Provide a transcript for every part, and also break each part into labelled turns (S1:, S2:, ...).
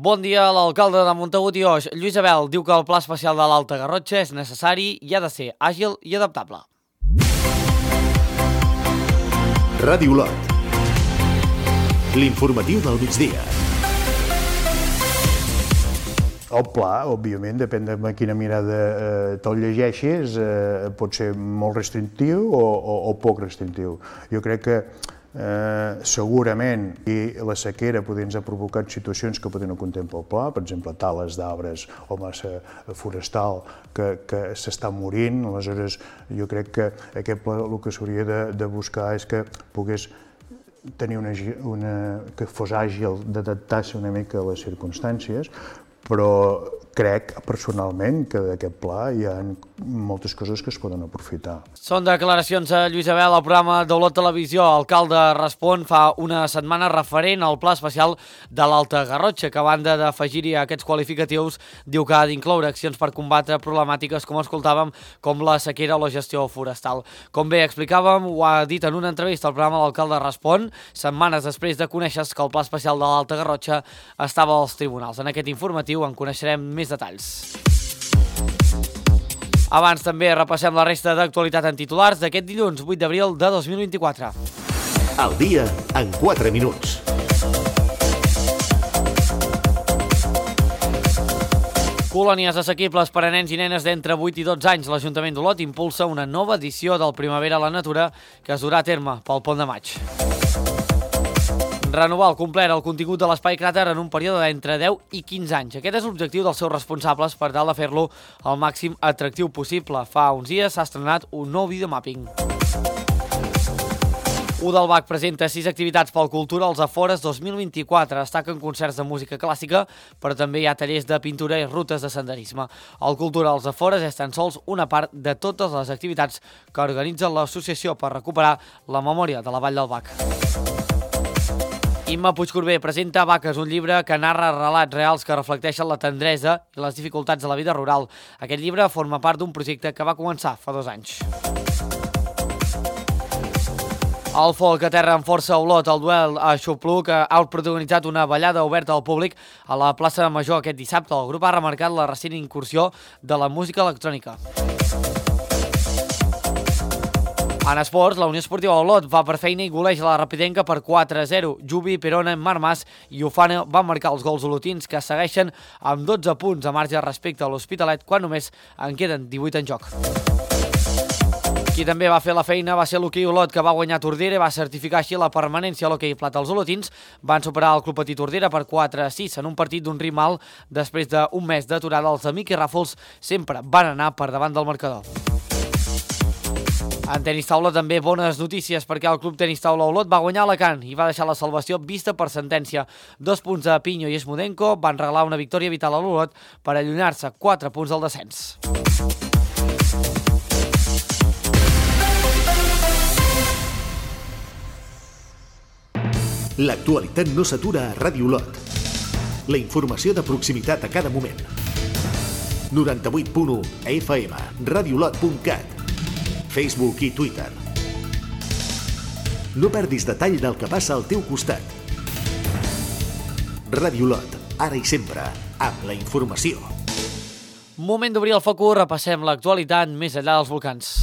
S1: Bon dia, l'alcalde de Montagut i Oix, Lluís Abel, diu que el pla especial de l'Alta Garrotxa és necessari i ha de ser àgil i adaptable.
S2: Ràdio Olot. L'informatiu del migdia.
S3: El pla, òbviament, depèn de quina mirada te'l llegeixis, pot ser molt restrictiu o poc restrictiu. Jo crec que segurament la sequera ens ha provocat situacions que poden no contemplar el pla, per exemple, tales d'arbres o massa forestal que s'està morint. Aleshores, jo crec que aquest pla el que s'hauria de buscar és que pogués tenir que fos àgil, d'adaptar-se una mica a les circumstàncies, però crec personalment que d'aquest pla hi ha moltes coses que es poden aprofitar.
S1: Són declaracions a Lluís Abel al programa d'Olot Televisió. L'alcalde respon fa una setmana referent al pla especial de l'Alta Garrotxa, que a banda d'afegir-hi aquests qualificatius, diu que ha d'incloure accions per combatre problemàtiques, com escoltàvem, com la sequera o la gestió forestal. Com bé explicàvem, ho ha dit en una entrevista al programa L'Alcalde Respon, setmanes després de conèixer que el pla especial de l'Alta Garrotxa estava als tribunals. En aquest informatiu en coneixerem més detalls. Abans també repassem la resta d'actualitat en titulars d'aquest dilluns 8 d'abril de 2024.
S2: El dia en 4 minuts.
S1: Colònies assequibles per a nens i nenes d'entre 8 i 12 anys. L'Ajuntament d'Olot impulsa una nova edició del Primavera a la Natura que es durà a terme pel Pont de Maig. Renovar al complet el contingut de l'Espai Cràter en un període d'entre 10 i 15 anys. Aquest és l'objectiu dels seus responsables per tal de fer-lo el màxim atractiu possible. Fa uns dies s'ha estrenat un nou videomàpping. Udalbac presenta 6 activitats pel Cultura als Afores 2024. Destaquen concerts de música clàssica, però també hi ha tallers de pintura i rutes de senderisme. El Cultura als Afores és tan sols una part de totes les activitats que organitza l'associació per recuperar la memòria de la Vall del Bac. Imma Puigcorbé presenta Vaques, un llibre que narra relats reals que reflecteixen la tendresa i les dificultats de la vida rural. Aquest llibre forma part d'un projecte que va començar fa 2 anys. El folk aterra amb força a Olot. El duel a Xupluc ha protagonitzat una ballada oberta al públic a la plaça Major aquest dissabte. El grup ha remarcat la recent incursió de la música electrònica. En esports, la Unió Esportiva Olot va per feina i goleja la Rapidenca per 4-0. Jubi, Perona, Marmas i Ufana van marcar els gols olotins, que segueixen amb 12 punts a marge respecte a l'Hospitalet, quan només en queden 18 en joc. Qui també va fer la feina va ser l'hoquei Olot, que va guanyar Tordera i va certificar així la permanència a l'hoquei plata. Els olotins van superar el Club Patí Tordera per 4-6 en un partit d'un ritme alt. Després d'un mes d'aturada, els de Miqui Ràfols sempre van anar per davant del marcador. En tenis taula també bones notícies, perquè el Club Tenis Taula Olot va guanyar Alacant i va deixar la salvació vista per sentència. 2 punts a Pinyo i Esmudenko van regalar una victòria vital a l'Olot per allunyar-se 4 punts del descens.
S2: L'actualitat no s'atura a Ràdio Olot. La informació de proximitat a cada moment. 98.1 FM, radioolot.cat, Facebook i Twitter. No perdis detall del que passa al teu costat. Ràdio Olot, ara i sempre, amb la informació.
S1: Moment d'obrir el focus, repassem l'actualitat més enllà dels volcans.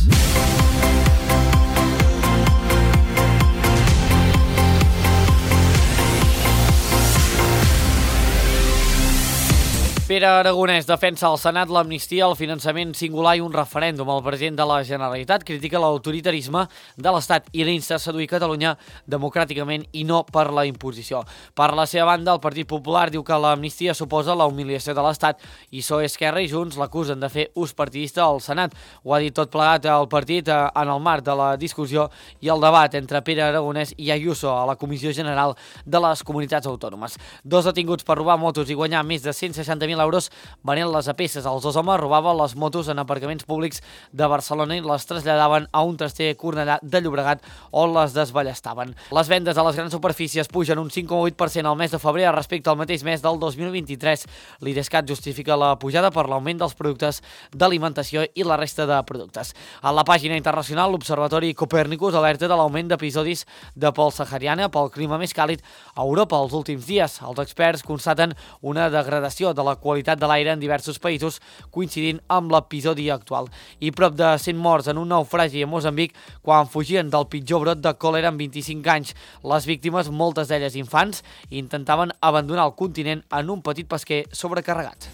S1: Pere Aragonès defensa al Senat l'amnistia, el finançament singular i un referèndum. El president de la Generalitat critica l'autoritarisme de l'Estat i l'insta a seduir Catalunya democràticament i no per la imposició. Per la seva banda, el Partit Popular diu que l'amnistia suposa la humiliació de l'Estat i PSOE, Esquerra i Junts l'acusen de fer ús partidista al Senat. Ho ha dit tot plegat el partit en el marc de la discussió i el debat entre Pere Aragonès i Ayuso a la Comissió General de les Comunitats Autònomes. 2 detinguts per robar motos i guanyar més de 160.000 100.000 euros venent-les a peces. Els dos homes robaven les motos en aparcaments públics de Barcelona i les traslladaven a un traster a Cornellà de Llobregat on les desballestaven. Les vendes a les grans superfícies pugen un 5,8% al mes de febrer respecte al mateix mes del 2023. L'Idescat justifica la pujada per l'augment dels productes d'alimentació i la resta de productes. A la pàgina internacional, l'Observatori Copernicus alerta de l'augment d'episodis de pols sahariana pel clima més càlid a Europa els últims dies. Els experts constaten una degradació de la qualitat de l'aire en diversos països, coincidint amb l'episodi actual. I prop de 100 morts en un naufragi a Moçambic quan fugien del pitjor brot de còlera en 25 anys. Les víctimes, moltes d'elles infants, intentaven abandonar el continent en un petit pesquer sobrecarregat.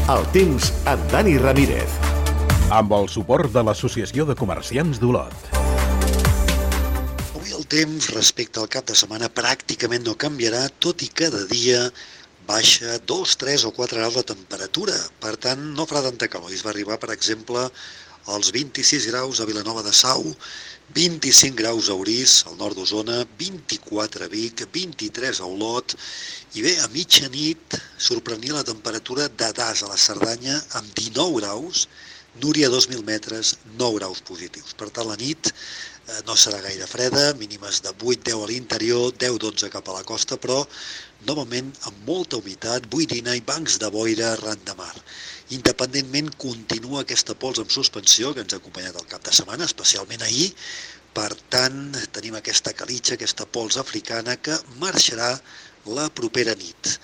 S2: El temps amb Dani Ramírez.
S4: Amb el suport de l'Associació de Comerciants d'Olot.
S5: Avui el temps respecte al cap de setmana pràcticament no canviarà, tot i cada dia baixa 2, 3 o 4 graus la temperatura. Per tant, no farà tanta calor. Es va arribar, per exemple, als 26 graus a Vilanova de Sau, 25 graus a Orís, al nord d'Osona, 24 a Vic, 23 a Olot, i bé, a mitjanit sorprenia la temperatura de Das a la Cerdanya amb 19 graus, Núria 2.000 metres, 9 graus positius. Per tant, la nit no serà gaire freda, mínimes de 8-10 a l'interior, 10-12 cap a la costa, però novament amb molta humitat, boirina i bancs de boira arran de mar. Independentment, continua aquesta pols en suspensió que ens ha acompanyat el cap de setmana, especialment ahir. Per tant, tenim aquesta calitxa, aquesta pols africana que marxarà la propera nit.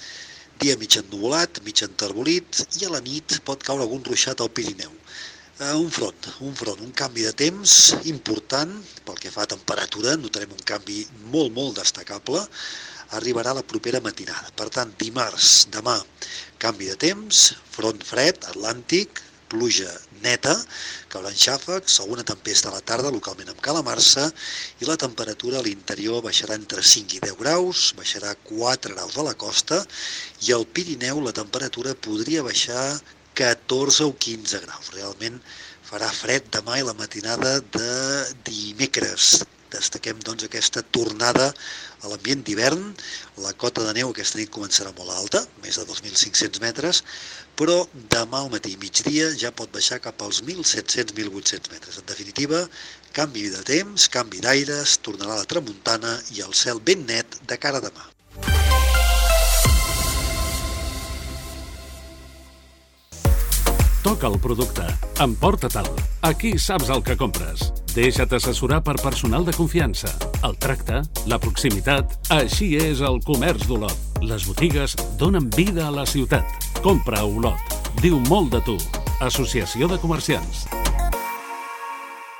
S5: Dia mig ennuvolat, mig enterbolit, i a la nit pot caure algun ruixat al Pirineu. Un front, un canvi de temps important pel que fa a temperatura, notarem un canvi molt destacable, arribarà la propera matinada. Per tant, dimarts, demà, canvi de temps, front fred, atlàntic, pluja neta, cauran xàfecs, alguna tempesta a la tarda, localment amb calamarsa, i la temperatura a l'interior baixarà entre 5 i 10 graus, baixarà 4 graus a la costa, i al Pirineu la temperatura podria baixar 14 o 15 graus. Realment farà fred demà i la matinada de dimecres. Destaquem doncs aquesta tornada a l'ambient d'hivern. La cota de neu aquesta nit començarà molt alta, més de 2.500 metres, però demà al matí i migdia ja pot baixar cap als 1.700-1.800 metres. En definitiva, canvi de temps, canvi d'aires, tornarà la tramuntana i el cel ben net de cara a demà.
S6: Toca el producte, emporta-te'l. Aquí saps el que compres. Deixa't assessorar per personal de confiança. El tracte, la proximitat, així és el comerç d'Olot. Les botigues donen vida a la ciutat. Compra a Olot. Diu molt de tu. Associació de Comerciants.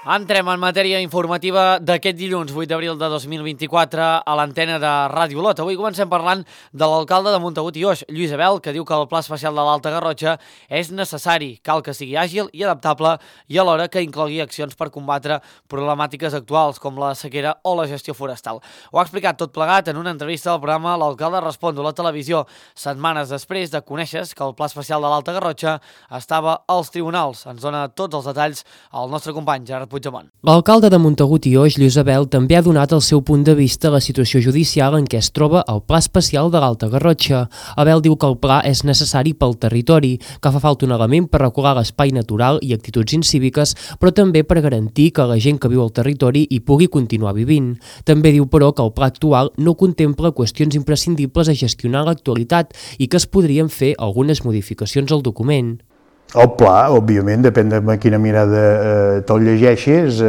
S1: Entrem en matèria informativa d'aquest dilluns, 8 d'abril de 2024, a l'antena de Ràdio Olot. Avui comencem parlant de l'alcalde de Montagut i Oix, Lluís Abel, que diu que el Pla Especial de l'Alta Garrotxa és necessari, cal que sigui àgil i adaptable i alhora que inclogui accions per combatre problemàtiques actuals com la sequera o la gestió forestal. Ho ha explicat tot plegat en una entrevista al programa L'Alcalde Respon a la televisió, setmanes després de conèixer que el Pla Especial de l'Alta Garrotxa estava als tribunals. Ens dona tots els detalls el nostre company Gerard Puigdemont.
S7: L'alcalde de Montagut i Oix, Lluís Abel, també ha donat el seu punt de vista a la situació judicial en què es troba el Pla Especial de l'Alta Garrotxa. Abel diu que el pla és necessari pel territori, que fa falta un element per regular l'espai natural i actituds incíviques, però també per garantir que la gent que viu al territori hi pugui continuar vivint. També diu, però, que el pla actual no contempla qüestions imprescindibles a gestionar l'actualitat i que es podrien fer algunes modificacions al document.
S3: El pla, òbviament, depèn de quina mirada te'l llegeixis,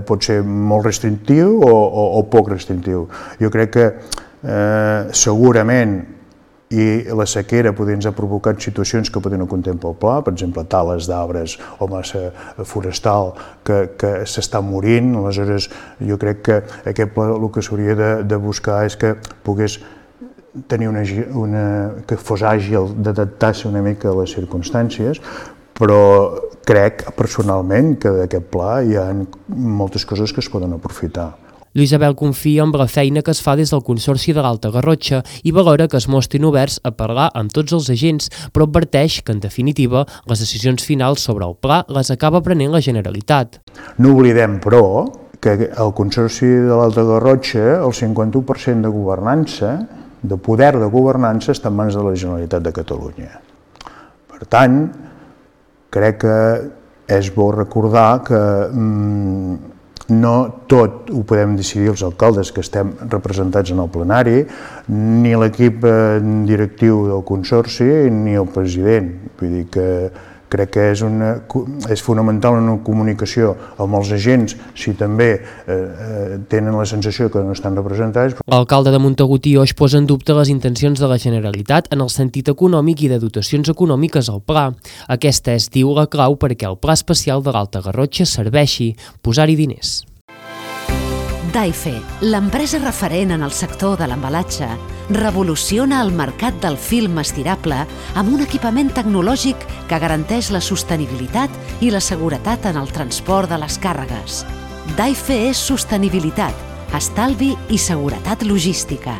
S3: pot ser molt restrictiu o poc restrictiu. Jo crec que segurament i la sequera ens ha provocat situacions que poden no contemplar el pla, per exemple, tales d'arbres o massa forestal que s'està morint. Aleshores, jo crec que aquest pla el que s'hauria de buscar és que pogués tenir que fos àgil d'adaptar-se una mica a les circumstàncies, però crec personalment que d'aquest pla hi ha moltes coses que es poden aprofitar.
S7: Lluís Abel confia en la feina que es fa des del Consorci de l'Alta Garrotxa i valora que es mostrin oberts a parlar amb tots els agents, però adverteix que, en definitiva, les decisions finals sobre el pla les acaba prenent la Generalitat.
S3: No oblidem, però, que el Consorci de l'Alta Garrotxa, el 51% de governança, de poder de governança, està en mans de la Generalitat de Catalunya. Per tant, crec que és bo recordar que no tot ho podem decidir els alcaldes que estem representats en el plenari, ni l'equip directiu del Consorci, ni el president. Vull dir que crec que és fonamental una comunicació amb els agents si també tenen la sensació que no estan representats.
S7: L'alcalde de Montagut i Oix posa en dubte les intencions de la Generalitat en el sentit econòmic i de dotacions econòmiques al pla. Aquesta és, diu, la clau perquè el pla especial de l'Alta Garrotxa serveixi, posar-hi diners.
S8: Daife, l'empresa referent en el sector de l'embalatge, revoluciona el mercat del film estirable amb un equipament tecnològic que garanteix la sostenibilitat i la seguretat en el transport de les càrregues. Daife és sostenibilitat, estalvi i seguretat logística.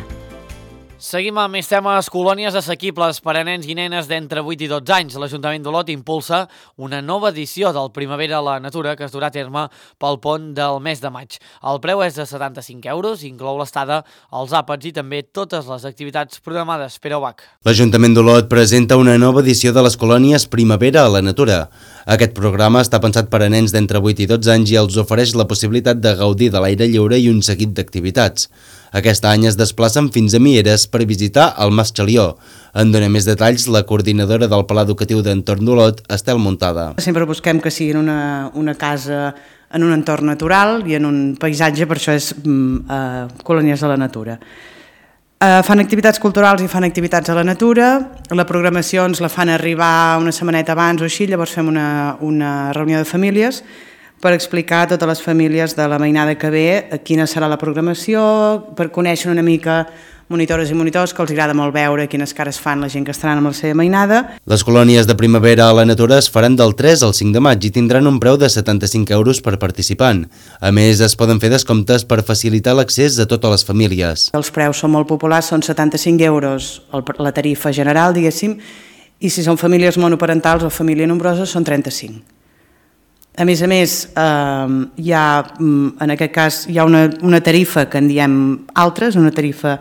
S1: Seguim amb més temes. Colònies assequibles per a nens i nenes d'entre 8 i 12 anys. L'Ajuntament d'Olot impulsa una nova edició del Primavera a la Natura que es durà a terme pel pont del mes de maig. El preu és de 75 euros, inclou l'estada, els àpats i també totes les activitats programades. Pere Ubach.
S9: L'Ajuntament d'Olot presenta una nova edició de les colònies Primavera a la Natura. Aquest programa està pensat per a nens d'entre 8 i 12 anys i els ofereix la possibilitat de gaudir de l'aire lliure i un seguit d'activitats. Aquest any es desplacen fins a Mieres per visitar el Mas Xalió. En dona més detalls la coordinadora del Pla Educatiu d'Entorn d'Olot, Estel Muntada.
S10: Sempre busquem que sigui en una casa en un entorn natural i en un paisatge, per això és colònies de la natura. Fan activitats culturals i fan activitats a la natura, la programació ens la fan arribar una setmaneta abans o així, llavors fem una reunió de famílies per explicar a totes les famílies de la mainada que ve quina serà la programació, per conèixer una mica monitores i monitors, que els agrada molt veure quines cares fan la gent que estaran amb la seva mainada.
S9: Les colònies de Primavera a la Natura es faran del 3 al 5 de maig i tindran un preu de 75 euros per participant. A més, es poden fer descomptes per facilitar l'accés a totes les famílies.
S10: Els preus són molt populars, són 75 euros la tarifa general, diguéssim, i si són famílies monoparentals o família nombrosa són 35. A més, hi ha, en aquest cas, hi ha una tarifa que en diem altres, una tarifa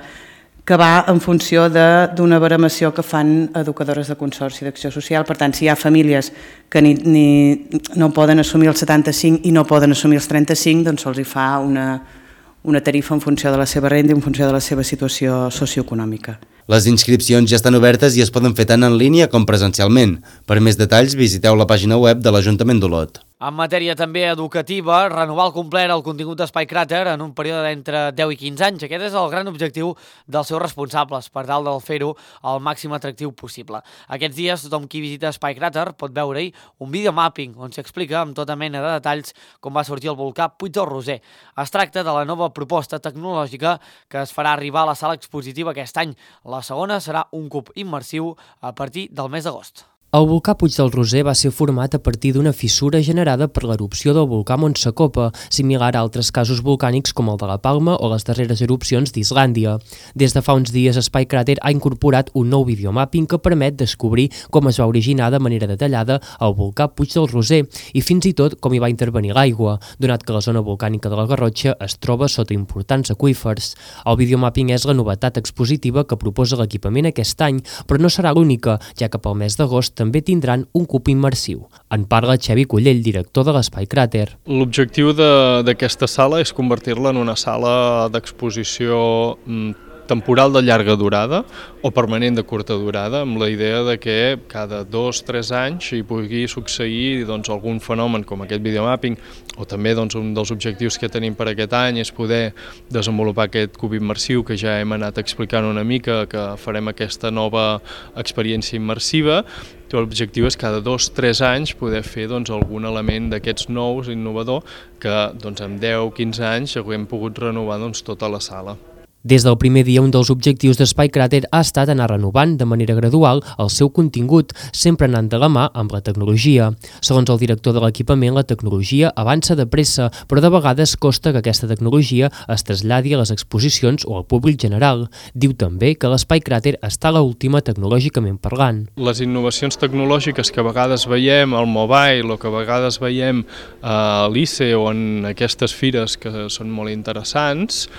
S10: que va en funció d'una baremació que fan educadores de Consorci d'Acció Social. Per tant, si hi ha famílies que no poden assumir els 75 i no poden assumir els 35, doncs se'ls fa una tarifa en funció de la seva renda i en funció de la seva situació socioeconòmica.
S9: Les inscripcions ja estan obertes i es poden fer tant en línia com presencialment. Per més detalls, visiteu la pàgina web de l'Ajuntament d'Olot.
S1: En matèria també educativa, renovar al complet el contingut d'Espai Cràter en un període d'entre 10 i 15 anys. Aquest és el gran objectiu dels seus responsables, per tal de fer-ho el màxim atractiu possible. Aquests dies, tothom qui visita Espai Cràter pot veure-hi un videomapping on s'explica amb tota mena de detalls com va sortir el volcà Puig del Roser. Es tracta de la nova proposta tecnològica que es farà arribar a la sala expositiva aquest any. La segona serà un cub immersiu a partir del mes d'agost.
S7: El volcà Puig del Roser va ser format a partir d'una fissura generada per l'erupció del volcà Montsacopa, similar a altres casos volcànics com el de la Palma o les darreres erupcions d'Islàndia. Des de fa uns dies, Espai Cràter ha incorporat un nou videomapping que permet descobrir com es va originar de manera detallada el volcà Puig del Roser i fins i tot com hi va intervenir l'aigua, donat que la zona volcànica de la Garrotxa es troba sota importants aqüífers. El videomapping és la novetat expositiva que proposa l'equipament aquest any, però no serà l'única, ja que pel mes d'agost també tindran un cub immersiu. En parla Xevi Collell, director de l'Espai Cràter.
S11: L'objectiu d'aquesta sala és convertir-la en una sala d'exposició temporal de llarga durada o permanent de curta durada, amb la idea de que cada 2-3 anys hi pugui succeir algun fenomen com aquest videomapping, o també un dels objectius que tenim per aquest any és poder desenvolupar aquest cub immersiu que ja hem anat explicant una mica, que farem aquesta nova experiència immersiva. L'objectiu és cada 2-3 anys poder fer algun element d'aquests nous, innovador, que en 10-15 anys haguem pogut renovar tota la sala.
S7: Des del primer dia, un dels objectius d'Espai Cràter ha estat anar renovant de manera gradual el seu contingut, sempre anant de la mà amb la tecnologia. Segons el director de l'equipament, la tecnologia avança de pressa, però de vegades costa que aquesta tecnologia es traslladi a les exposicions o al públic general. Diu també que l'Espai Cràter està a l'última tecnològicament parlant.
S11: Les innovacions tecnològiques que a vegades veiem al mobile o que a vegades veiem a l'ICE o en aquestes fires que són molt interessants,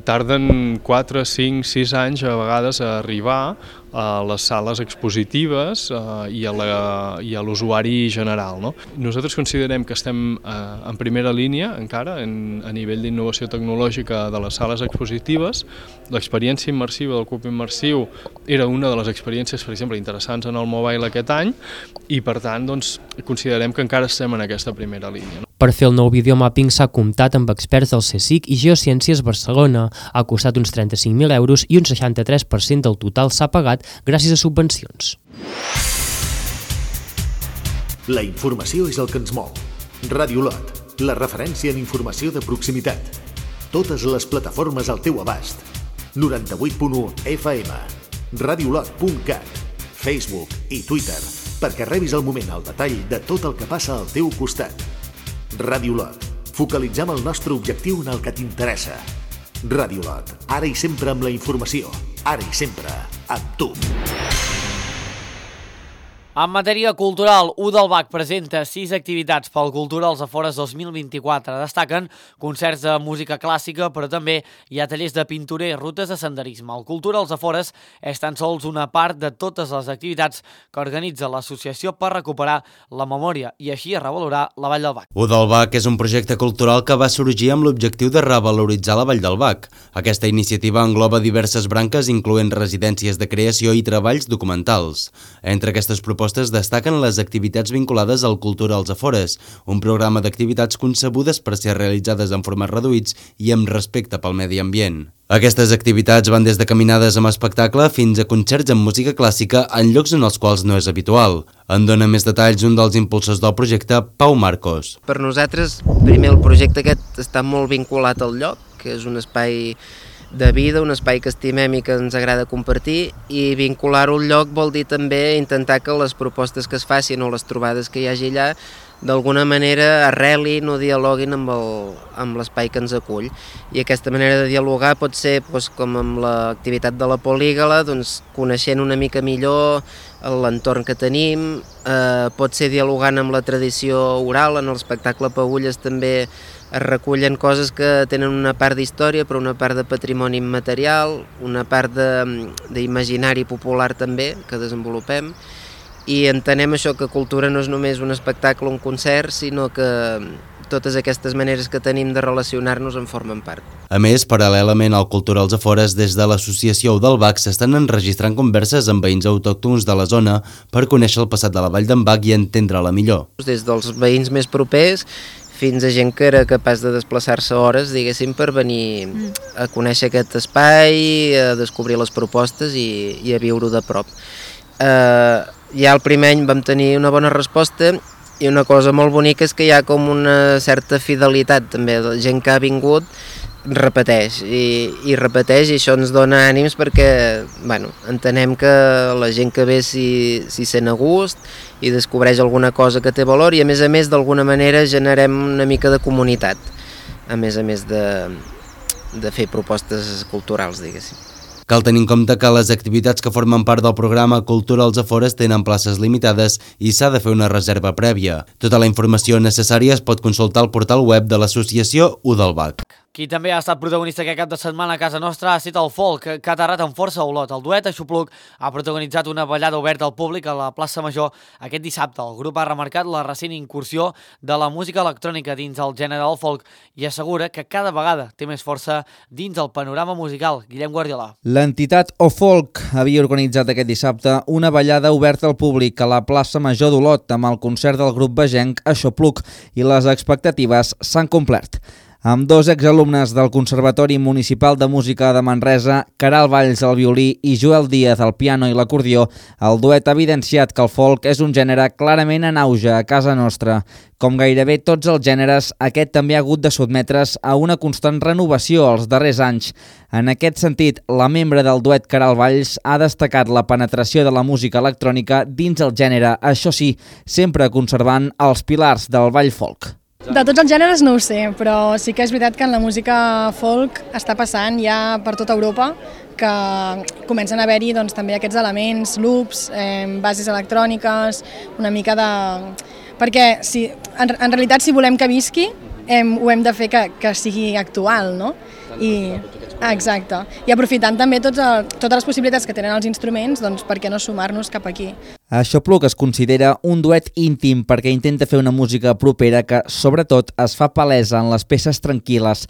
S11: tarden 4, 5, 6 anys a vegades a arribar a les sales expositives i a l'usuari general, no? Nosaltres considerem que estem en primera línia encara a nivell d'innovació tecnològica de les sales expositives. L'experiència immersiva del cub immersiu era una de les experiències, per exemple, interessants en el mobile aquest any i, per tant, doncs, considerem que encara estem en aquesta primera línia.
S7: Per fer el nou videomapping s'ha comptat amb experts del CSIC i Geociències Barcelona. Ha costat uns 35.000 euros i un 63% del total s'ha pagat gràcies a subvencions.
S2: La informació és el que ens mou. Ràdio Lot, la referència en informació de proximitat. Totes les plataformes al teu abast. 98.1 FM, radiolot.cat, Facebook i Twitter, perquè rebis al moment el detall de tot el que passa al teu costat. Ràdio Lot, focalitzem el nostre objectiu en el que t'interessa. Ràdio Lot, ara i sempre amb la informació, ara i sempre amb tu.
S1: En matèria cultural, Udalbac presenta 6 activitats pel Cultura als Afores 2024. Destaquen concerts de música clàssica, però també hi ha tallers de pintura i rutes de senderisme. El Cultura als Afores és tan sols una part de totes les activitats que organitza l'associació per recuperar la memòria i així revalorar la Vall del Bac.
S9: Udalbac és un projecte cultural que va sorgir amb l'objectiu de revaloritzar la Vall del Bac. Aquesta iniciativa engloba diverses branques, incloent residències de creació i treballs documentals. Entre aquestes propostes destaquen les activitats vinculades al Cultura als Afores, un programa d'activitats concebudes per ser realitzades en formats reduïts i amb respecte pel medi ambient. Aquestes activitats van des de caminades amb espectacle fins a concerts amb música clàssica en llocs en els quals no és habitual. En dona més detalls un dels impulsors del projecte, Pau Marcos.
S12: Per nosaltres, primer, el projecte aquest està molt vinculat al lloc, que és un espai de vida, un espai que estimem i que ens agrada compartir, i vincular-ho al lloc vol dir també intentar que les propostes que es facin o les trobades que hi hagi allà d'alguna manera arrelin o dialoguin amb l'espai que ens acull. I aquesta manera de dialogar pot ser, com amb l'activitat de la Polígala, coneixent una mica millor l'entorn que tenim, pot ser dialogant amb la tradició oral. En l'espectacle Pagulles també es recullen coses que tenen una part d'història però una part de patrimoni immaterial, una part d'imaginari popular també que desenvolupem, i entenem això, que cultura no és només un espectacle o un concert, sinó que totes aquestes maneres que tenim de relacionar-nos en formen part.
S9: A més, paral·lelament al Cultura als Afores, des de l'associació Udalbac s'estan enregistrant converses amb veïns autòctons de la zona per conèixer el passat de la Vall d'en Bac i entendre-la millor.
S12: Des dels veïns més propers fins a gent que era capaç de desplaçar-se hores, diguéssim, per venir a conèixer aquest espai, a descobrir les propostes i a viure-ho de prop. Ja el primer any vam tenir una bona resposta i una cosa molt bonica és que hi ha com una certa fidelitat també, la gent que ha vingut repeteix i repeteix, i això ens dona ànims perquè entenem que la gent que ve s'hi sent a gust i descobreix alguna cosa que té valor, i a més d'alguna manera generem una mica de comunitat, a més de fer propostes culturals, diguéssim.
S9: Cal tenir en compte que les activitats que formen part del programa Cultura als Afores tenen places limitades i s'ha de fer una reserva prèvia. Tota la informació necessària es pot consultar al portal web de l'associació Udalbac.
S1: Qui també ha estat protagonista aquest cap de setmana a casa nostra ha estat el folk, que ha aterrat amb força a Olot. El duet Aixopluc ha protagonitzat una ballada oberta al públic a la plaça Major aquest dissabte. El grup ha remarcat la recent incursió de la música electrònica dins el gènere del folk i assegura que cada vegada té més força dins el panorama musical. Guillem Guardiola.
S13: L'entitat O-Folk havia organitzat aquest dissabte una ballada oberta al públic a la plaça Major d'Olot amb el concert del grup vegenc Aixopluc, i les expectatives s'han complert. Amb dos exalumnes del Conservatori Municipal de Música de Manresa, Caral Valls al violí i Joel Díaz al piano i l'acordió, el duet ha evidenciat que el folk és un gènere clarament en auge a casa nostra. Com gairebé tots els gèneres, aquest també ha hagut de sotmetre's a una constant renovació els darrers anys. En aquest sentit, la membre del duet Caral Valls ha destacat la penetració de la música electrònica dins el gènere, això sí, sempre conservant els pilars del ball folk.
S14: De tots els gèneres no ho sé, però sí que és veritat que en la música folk està passant ja per tota Europa que comencen a haver-hi doncs, també aquests elements, loops, bases electròniques, una mica de... Perquè en realitat si volem que visqui ho hem de fer que sigui actual, no? Exacte. I aprofitant també totes les possibilitats que tenen els instruments, doncs per què no sumar-nos cap aquí?
S13: Aixopluc es considera un duet íntim perquè intenta fer una música propera que, sobretot, es fa palesa en les peces tranquil·les.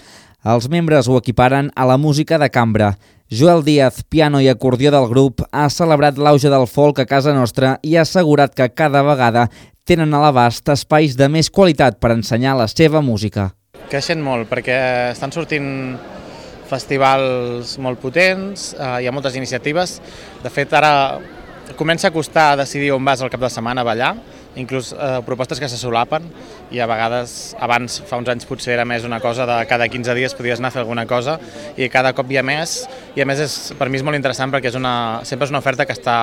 S13: Els membres ho equiparen a la música de cambra. Joel Díaz, piano i acordió del grup, ha celebrat l'auge del folk a casa nostra i ha assegurat que cada vegada tenen a l'abast espais de més qualitat per ensenyar la seva música.
S15: Creixen molt perquè estan sortint festivals molt potents, hi ha moltes iniciatives. De fet, ara comença a costar decidir on vas al cap de setmana a ballar, inclús propostes que se solapen i a vegades, abans, fa uns anys potser era més una cosa de cada 15 dies podies anar a fer alguna cosa i cada cop hi ha més i a més per mi és molt interessant perquè sempre és una oferta que està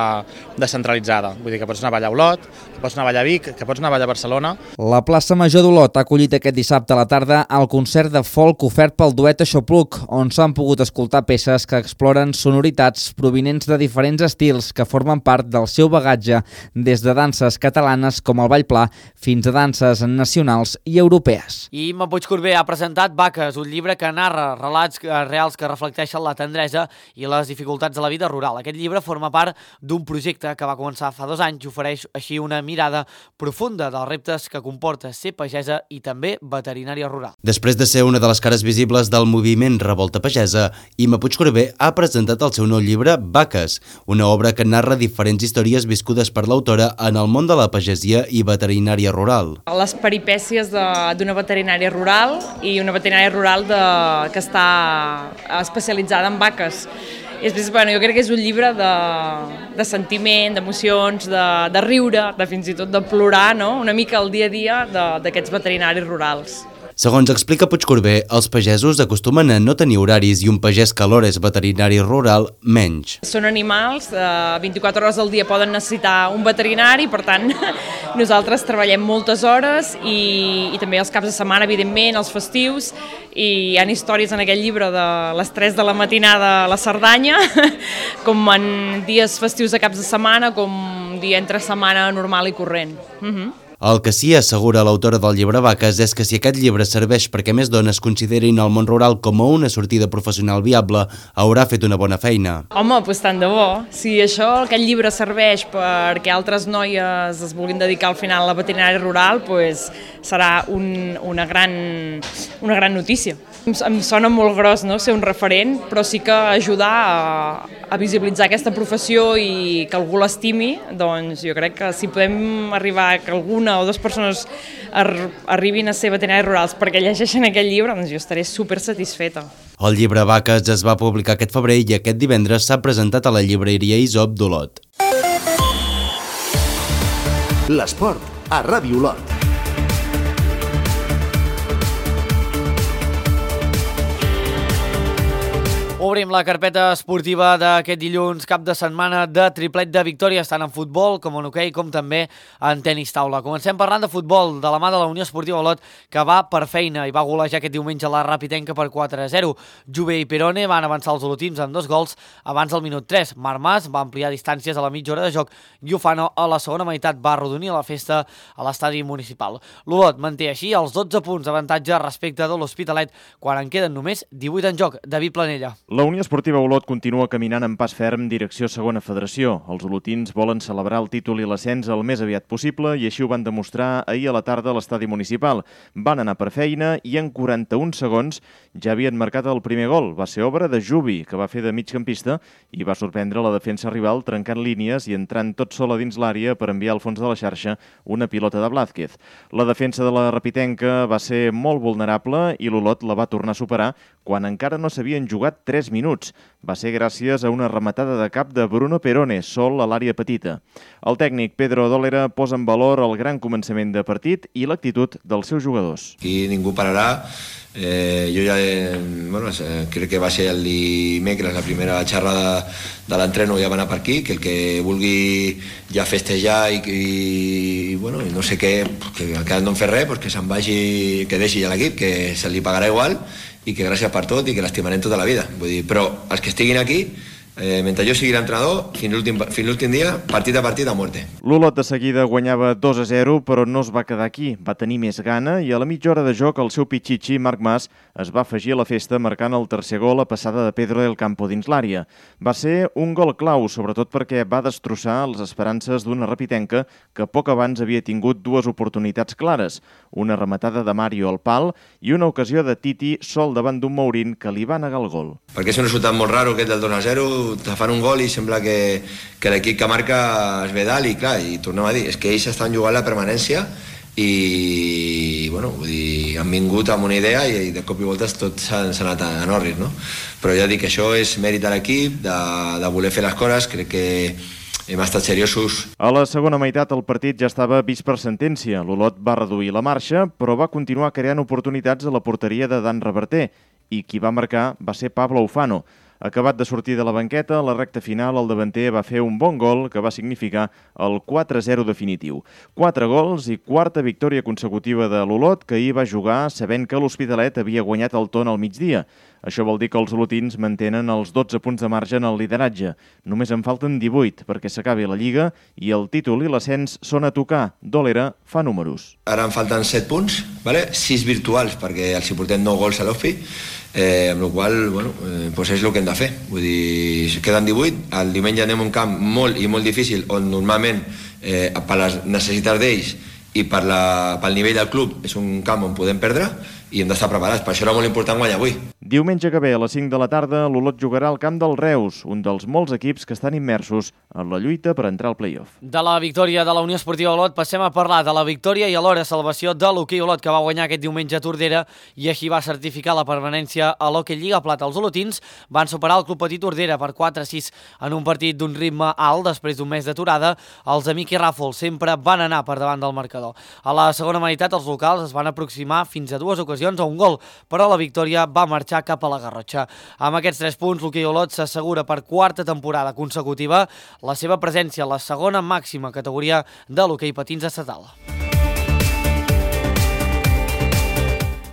S15: descentralitzada, vull dir que pots anar a ballar a Olot, que pots anar a ballar a Vic, que pots anar a ballar a Barcelona.
S13: La plaça Major d'Olot ha acollit aquest dissabte a la tarda el concert de folk ofert pel duet Aixopluc, on s'han pogut escoltar peces que exploren sonoritats provinents de diferents estils que formen part del seu bagatge, des de danses catalanes com el ball pla fins a danses nacionals i europees.
S1: I Imma Puigcorbé ha presentat Vaques, un llibre que narra relats reals que reflecteixen la tendresa i les dificultats de la vida rural. Aquest llibre forma part d'un projecte que va començar fa 2 anys i ofereix així una mirada profunda dels reptes que comporta ser pagesa i també veterinària rural.
S9: Després de ser una de les cares visibles del moviment Revolta Pagesa, Imma Puigcorbé ha presentat el seu nou llibre Vaques, una obra que narra diferents històries viscudes per l'autora en el món de la pagesia i veterinària rural.
S16: Les peripècies d'una veterinària rural i una veterinària rural que està especialitzada en vaques. Jo crec que és un llibre de sentiment, d'emocions, de riure, de fins i tot de plorar, no? Una mica el dia a dia d'aquests veterinaris rurals.
S9: Segons explica Puigcorbé, els pagesos acostumen a no tenir horaris i un pagès que alhora és veterinari rural menys.
S16: Són animals, 24 hores al dia poden necessitar un veterinari, per tant nosaltres treballem moltes hores i també els caps de setmana, evidentment, els festius, i hi ha històries en aquest llibre de les 3 de la matinada a la Cerdanya, com en dies festius de caps de setmana, com dia entre setmana normal i corrent.
S9: El que sí assegura l'autora del llibre Vaques és que si aquest llibre serveix perquè més dones considerin el món rural com a una sortida professional viable, haurà fet una bona feina.
S16: Home, doncs tant de bo. Si aquest llibre serveix perquè altres noies es vulguin dedicar al final a la veterinària rural, doncs serà una gran notícia. Em sona molt gros, no?, ser un referent, però sí que ajudar a visibilitzar aquesta professió i que algú l'estimi, doncs jo crec que si podem arribar a que alguna o 2 persones arribin a ser veterinaris rurals perquè llegeixen aquest llibre, doncs jo estaré super satisfeta.
S9: El llibre Vaques es va publicar aquest febrer i aquest divendres s'ha presentat a la llibreria Isop d'Olot.
S2: L'esport a Ràdio Olot.
S1: Obrim la carpeta esportiva d'aquest dilluns, cap de setmana de triplet de victòries, tant en futbol com en hoquei, com també en tenis taula. Comencem parlant de futbol, de la mà de la Unió Esportiva Olot, que va per feina i va golejar aquest diumenge la Rapitenca per 4-0. Jove i Perone van avançar els olotins amb 2 gols abans del minut 3. Marc Mas va ampliar distàncies a la mitja hora de joc i Ufano a la segona meitat va arrodonir la festa a l'estadi municipal. L'Olot manté així els 12 punts d'avantatge respecte de l'Hospitalet quan en queden només 18 en joc. David Planella.
S17: La Unió Esportiva Olot continua caminant en pas ferm direcció segona federació. Els olotins volen celebrar el títol i l'ascens el més aviat possible i així ho van demostrar ahir a la tarda a l'estadi municipal. Van anar per feina i en 41 segons ja havien marcat el primer gol. Va ser obra de Jubi, que va fer de migcampista i va sorprendre la defensa rival trencant línies i entrant tot sol a dins l'àrea per enviar al fons de la xarxa una pilota de Blázquez. La defensa de la Rapitenca va ser molt vulnerable i l'Olot la va tornar a superar quan encara no s'havien jugat 3 minuts. Va ser gràcies a una rematada de cap de Bruno Perone, sol a l'àrea petita. El tècnic Pedro Dólera posa en valor el gran començament de partit i l'actitud dels seus jugadors.
S18: Aquí ningú pararà. Jo ja crec que va ser el dimecres la primera xerrada de l'entreno, ja va anar per aquí, que el que vulgui ja festejar i no sé què, que encara no en fer res, que se'n vagi, que deixi ja l'equip, que se li pagarà igual i que gràcies per tot i que l'estimarem tota la vida. Vull dir, però els que estiguin aquí, mentre jo sigui l'entrenador, fins l'últim dia, partit a partit a muerte.
S17: L'Olot de seguida guanyava 2-0, però no es va quedar aquí. Va tenir més gana i a la mitja hora de joc el seu pitxitxi, Marc Mas, es va afegir a la festa marcant el tercer gol a passada de Pedro del Campo dins l'àrea. Va ser un gol clau, sobretot perquè va destrossar les esperances d'una Rapitenca que poc abans havia tingut dues oportunitats clares, una rematada de Mario al pal i una ocasió de Titi sol davant d'un Mourín que li va negar el gol.
S18: Perquè és un resultat molt raro aquest del 2-0, te fan un gol i sembla que l'equip que marca es ve dalt i clar, i tornem a dir, és que ells estan jugant la permanència i vull dir, han vingut amb una idea i de cop i volta tot s'ha anat a Norris, no? Però ja dic que això és mèrit de l'equip, de voler fer les coses, crec que hem estat seriosos.
S17: A la segona meitat el partit ja estava vist per sentència. L'Olot va reduir la marxa, però va continuar creant oportunitats a la porteria de Dan Reverter i qui va marcar va ser Pablo Ufano. Acabat de sortir de la banqueta, a la recta final el davanter va fer un bon gol que va significar el 4-0 definitiu. 4 gols i quarta victòria consecutiva de l'Olot, que ahir va jugar sabent que l'Hospitalet havia guanyat el Ton al migdia. Això vol dir que els olotins mantenen els 12 punts de marge en el lideratge. Només en falten 18 perquè s'acabi la Lliga i el títol i l'ascens són a tocar. Dólera fa números.
S18: Ara en falten 7 punts, 6 virtuals perquè els hi portem 9 gols a l'Ospi, amb la qual cosa és el que hem de fer. Vull dir, queden 18, el diumenge anem a un camp molt i molt difícil on normalment per les necessitats d'ells i pel nivell del club és un camp on podem perdre i hem d'estar preparats. Per això era molt important guanyar avui.
S17: Diumenge que ve, a les 5 de la tarda, l'Olot jugarà al camp del Reus, un dels molts equips que estan immersos en la lluita per entrar al play-off.
S1: De la victòria de la Unió Esportiva Olot passem a parlar de la victòria i alhora salvació de l'Hoquei Olot, que va guanyar aquest diumenge a Tordera i així va certificar la permanència a l'Hoquei Lliga Plata. Els olotins van superar el Club Petit Tordera per 4-6 en un partit d'un ritme alt després d'un mes d'aturada. Els amics i Ràfol sempre van anar per davant del marcador. A la segona meitat els locals es van aproximar fins a 2 ocasions a un gol, però la victòria va marxar cap a la Garrotxa. Amb aquests 3 punts, l'Hoquei Olot s'assegura per 4a temporada consecutiva la seva presència a la segona màxima categoria de l'hoquei patins estatal.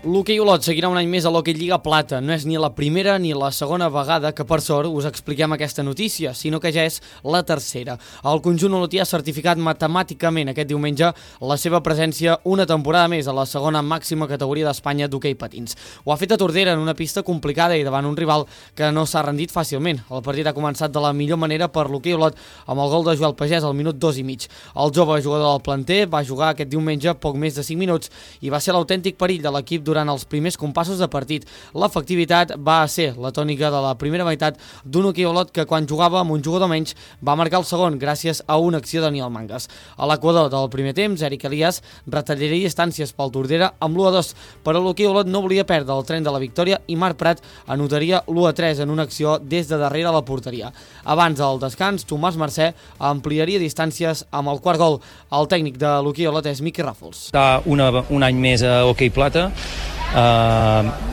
S1: L'Hoquei Olot seguirà un any més a l'Hoquei Lliga Plata. No és ni la primera ni la segona vegada que, per sort, us expliquem aquesta notícia, sinó que ja és la tercera. El conjunt olotí ha certificat matemàticament aquest diumenge la seva presència una temporada més a la segona màxima categoria d'Espanya d'hoquei patins. Ho ha fet a Tordera en una pista complicada i davant un rival que no s'ha rendit fàcilment. El partit ha començat de la millor manera per l'Hoquei Olot amb el gol de Joel Pagès al minut 2 i mig. El jove jugador del planter va jugar aquest diumenge poc més de 5 minuts i va ser l'autèntic perill de l'equip durant els primers compassos de partit. L'efectivitat va ser la tònica de la primera meitat d'un Hoquei Olot que quan jugava amb un jugador menys va marcar el segon gràcies a una acció de Daniel Mangas. A l'equador del primer temps, Eric Elias retallaria distàncies pel Tordera amb l'1-2, però l'Hoquei Olot no volia perdre el tren de la victòria i Marc Prat anotaria l'1-3 en una acció des de darrere la porteria. Abans del descans, Tomàs Mercè ampliaria distàncies amb el quart gol. El tècnic de l'Hoquei Olot és Miqui Ràfols.
S19: Està un any més a Hoquei Plata.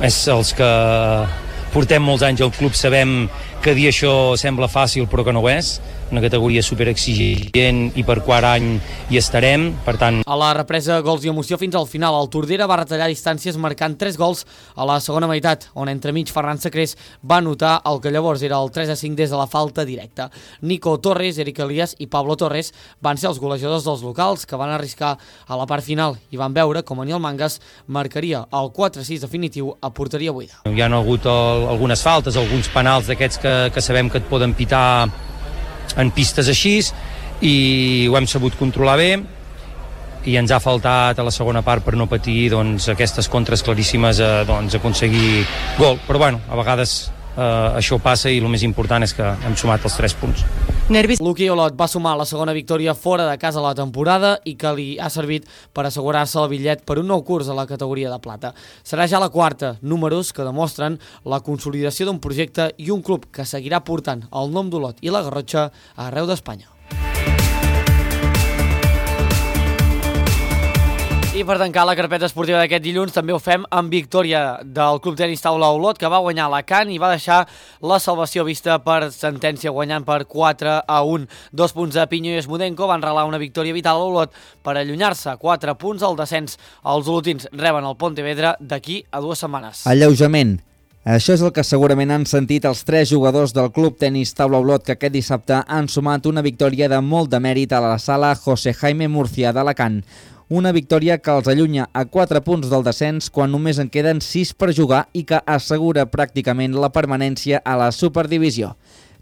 S19: És els que portem molts anys al club, sabem que dir això sembla fàcil però que no ho és. una categoria superexigent i per quart any hi estarem, per tant...
S1: A la represa gols i emoció fins al final, el Tordera va retallar distàncies marcant 3 gols a la segona meitat, on entremig Ferran Sacrés va anotar el que llavors era el 3-5 des de la falta directa. Nico Torres, Eric Elias i Pablo Torres van ser els golejadors dels locals, que van arriscar a la part final i van veure com Aniel Mangas marcaria el 4-6 definitiu a porteria buida.
S19: Hi ha hagut algunes faltes, alguns penals d'aquests que sabem que et poden pitar en pistes així, i ho hem sabut controlar bé, i ens ha faltat a la segona part per no patir aquestes contres claríssimes aconseguir gol, però bueno, a vegades això passa i el més important és que hem sumat els 3 punts.
S1: Luqui Olot va sumar la segona victòria fora de casa a la temporada i que li ha servit per assegurar-se el bitllet per un nou curs a la categoria de plata. Serà ja la quarta, números que demostren la consolidació d'un projecte i un club que seguirà portant el nom d'Olot i la Garrotxa arreu d'Espanya. I per tancar la carpeta esportiva d'aquest dilluns també ho fem amb victòria del Club Tenis Taula Olot, que va guanyar Alacant i va deixar la salvació vista per sentència, guanyant per 4-1. 2 punts de Pinyo i Esmudenko van regalar una victòria vital a Olot per allunyar-se 4 punts al descens. Els olotins reben el Pontevedra d'aquí a 2 setmanes.
S13: Alleujament. Això és el que segurament han sentit els 3 jugadors del Club Tenis Taula Olot, que aquest dissabte han sumat una victòria de molt de mèrit a la sala José Jaime Murcia d'Alacant. Una victòria que els allunya a 4 punts del descens quan només en queden 6 per jugar i que assegura pràcticament la permanència a la Superdivisió.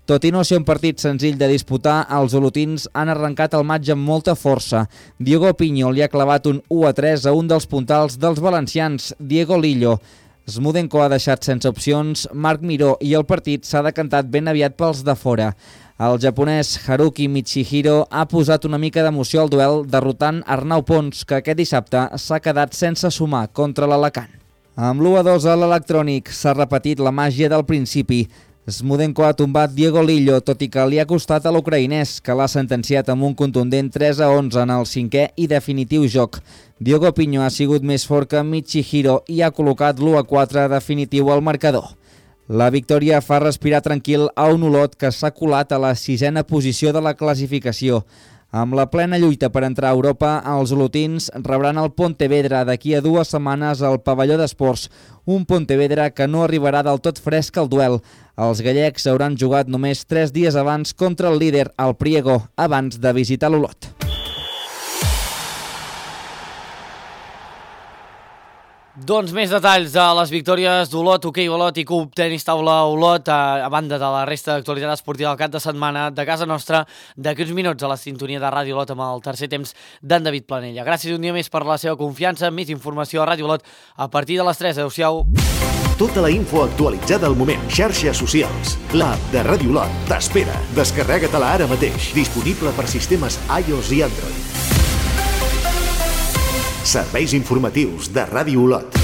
S13: Tot i no ser un partit senzill de disputar, els olotins han arrencat el maig amb molta força. Diego Piño li ha clavat un 1-3 a un dels puntals dels valencians, Diego Lillo. Smudenko ha deixat sense opcions Marc Miró i el partit s'ha decantat ben aviat pels de fora. El japonès Haruki Michihiro ha posat una mica d'emoció al duel derrotant Arnau Pons, que aquest dissabte s'ha quedat sense sumar contra l'Alacant. Amb l'1-2 a l'electrònic s'ha repetit la màgia del principi. Smudenko ha tombat Diego Lillo, tot i que li ha costat a l'ucraïnès, que l'ha sentenciat amb un contundent 3-11 en el 5è i definitiu joc. Diego Piño ha sigut més fort que Michihiro i ha col·locat l'1-4 definitiu al marcador. La victòria fa respirar tranquil a un Olot que s'ha colat a la 6a posició de la classificació. Amb la plena lluita per entrar a Europa, els olotins rebran el Pontevedra d'aquí a 2 setmanes al pavelló d'esports, un Pontevedra que no arribarà del tot fresc al duel. Els gallecs hauran jugat només 3 dies abans contra el líder, el Priego, abans de visitar l'Olot.
S1: Doncs més detalls de les victòries d'Olot, Hoquei Olot i Club Tenis Taula Olot, a banda de la resta d'actualitat esportiva del cap de setmana de casa nostra, d'aquí uns minuts a la sintonia de Ràdio Olot amb el tercer temps d'en David Planella. Gràcies un dia més per la seva confiança. Més informació a Ràdio Olot a partir de les 3. Adéu-siau.
S2: Tota la info actualitzada al moment. Xarxes socials. L'app de Ràdio Olot t'espera. Descarrega-te-la ara mateix. Disponible per sistemes iOS i Android. Serveis informatius de Ràdio Olot.